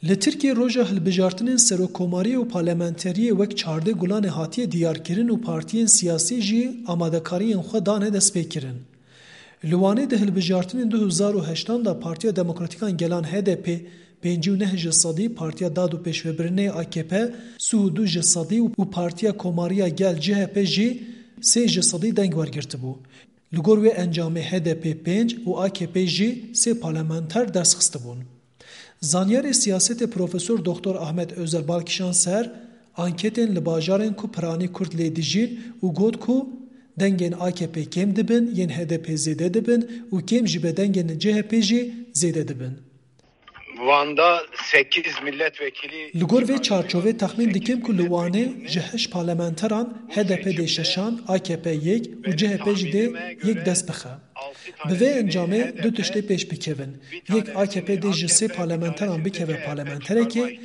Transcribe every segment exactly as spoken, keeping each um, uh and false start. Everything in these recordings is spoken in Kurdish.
Li Tirkiyê roja hilbijartinên serokkomariyê û parlamenteriyê wek çardeh Gulanê hatiye diyarkirin û partiyên siyasî jî amadekariyên xwe dane destpêkirin. Li Wanê di hilbijartinên du hezar û heştan de Partiya Demokratîkan Gelan H D P pêncî û neh ji sedî, Partiya Dad û Pêşvebirinê A K P sî û du ji sedî û Partiya Komariya Gel C H P jî sê ji sedî deng wergirtibû. Li gor wê encamê H D P pênc û A K P jî sê parlamenter dest xistibûn. Zanyarê siyasetê Profesor Doktor Ahmet Özer bal kişand ser anketên li bajarên ku piranî Kurd lê dijîn û got ku dengên A K P kêm dibin, yên H D P zêde dibin û kêm jî be dengên C H P jî zêde dibin. Van'da sekiz milletvekili Li gor vê çarçovê texmîn dikim ku li Wanê ji heşt parlamenteran H D P dê şeşan, A K P yek û C H P jî dê yek dest bixe. Bi vê encamê du tiştê pêş bikevin. Yek A K P dê ji sê parlamenteran bikeve parlamenterekê,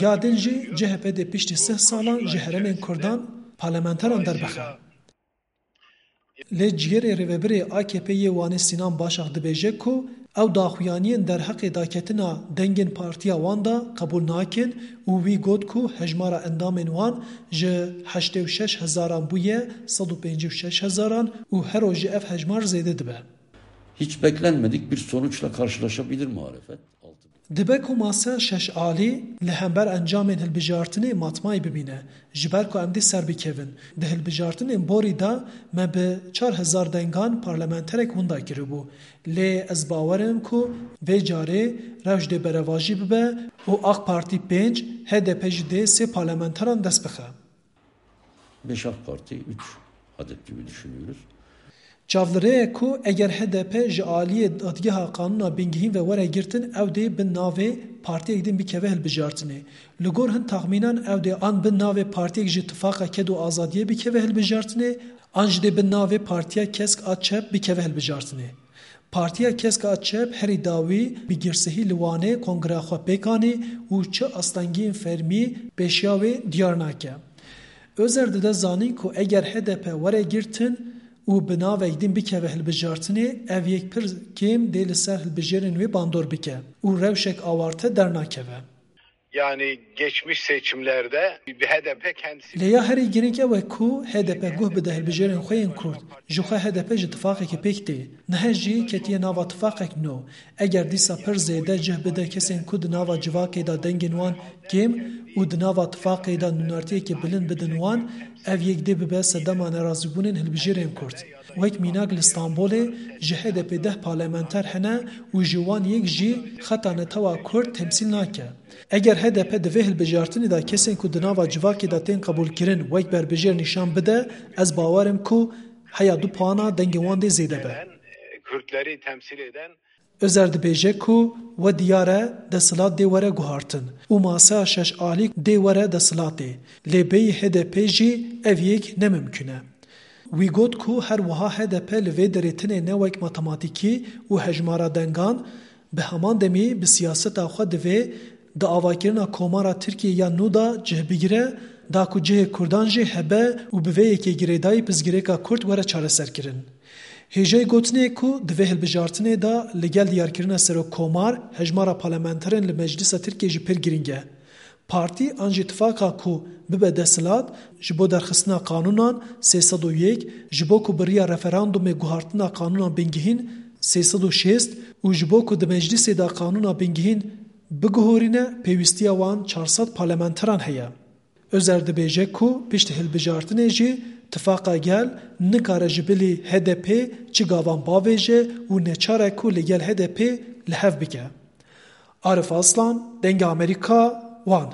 ya din jî C H P dê piştî sih salan ji herêmên Kurdan parlamenteran derbixe. Lê ciyerê rêvebirê A K P yê Wanê Sînan Başak dibêje ku ew daxuyaniyên derheqê daketina dengên partiya wan de qebûl nakin û wî got ku hejmara endamên wan ji heştê û şeş hezaran bûye sed û pêncî û şeş hezaran û her roj jî ev hejmar zêde dibe. Hiç beklenmedik bir sonuçla karşılaşabilir muhalefet. Dibe ku masa şeş alî li hember encamên hilbijartinê matmayî bibîne, ji ber ku em dê ser bikevin. Di hilbijartinên borî de me bi çar hezar dengan parlamenterek winda kiribû. Lê ez bawer im ku vê carê rewş dê berevajî bibe û AK Partî pênc, H D P jî dê sê parlamenteran dest bixe. Beş AK Parti, üç adet gibi düşünüyoruz. Çavlirê ye ku eger H D P ji aliyê dadgeha qanûna bingehîn ve were girtin, ew dê bin navê partiyek din bikeve hilbijartinê. Li gor hin taxmînan ew dê an bin navê partiyek ji Tifaqa Ked û Azadiyê bikeve hilbijartinê, an jî dê bin navê Partiya Kesk a Çep bikeve hilbijartinê. Partiya Kesk a Çep herî dawî bi girsehî li Wanê kongreya xwe pêk anî û çi astengiyên fermî pêşiya wê diyar nake. Özer dide zanîn ku eger H D P were girtin û bi navek din bikeve hilbijartinê, ev yek pir kêm dê li ser hilbijêrên wê bandor bike û rewşek awarte dernakeve. Yani geçmiş seçimlerde H D P kendisi Lê ya herî girîng ew e ku H D P guh bide hilbijêrên xwe yên Kurd. Ji xwe H D P ji tifaqekê pêk tê. Niha jî ketiye nava tifaqek nû. Eger dîsa pir zêde cih bide kesên ku di nava civakê de dengên wan kêm û di nava tifaqê de nûnertiyekê bilind bidin wan, ev yek dê bibe sedema nerazîbûnên hilbijêrên Kurd. Wek mînak li Stenbolê ji H D P deh parlamenter hene û ji wan yek jî xeta netewa Kurd temsîl nake. Eger H D P di vê hilbijartinê de kesên ku di nava civakê de tên qebûlkirin wek berbijêr nîşan bide, ez bawer im ku heya du puana dengên wan dê zêde be. Kürtleri temsil eden Özer dibêje ku we diyar e desthilat dê were guhartin û maseya şeş alî dê were desthilatê, lê bêyî H D P jî ev yek ne mimkun e. Wî got ku her wiha H D P li vê derê tine ne wek matematîkî û hejmara dengan, bi heman demî bi siyaseta xwe divê di avakirina Komara Tirkiyê ya nû de cih bigire, da ku cihê Kurdan jî hebe û bi vê yekê girêdayî pirsgirêka Kurd were çareserkirin. Hêjayî gotinê ye ku di vê hilbijartinê de li gel diyarkirina serokkomar, hejmara parlamenterên li Meclisa Tirkiyê jî pir girîng e. Partî an jî tifaqa ku bibe desthilat, ji bo derxistina qanûnan sê sed û yek, ji bo ku bi riya referandumê guhartina qanûna bingehîn sê sed û şêst û ji bo ku di Meclîsê de qanûna bingehîn biguhorîne, pêwîstiya wan çar sed parlamenteran heye. Özer dibêje ku pişt hilbijartinê jî Tifaqa Gel nikare ji bilî H D P çi gavan bavêje û neçar e ku li gel H D P li hev bike. Arif Aslan, Dengê Amerîka, Wan.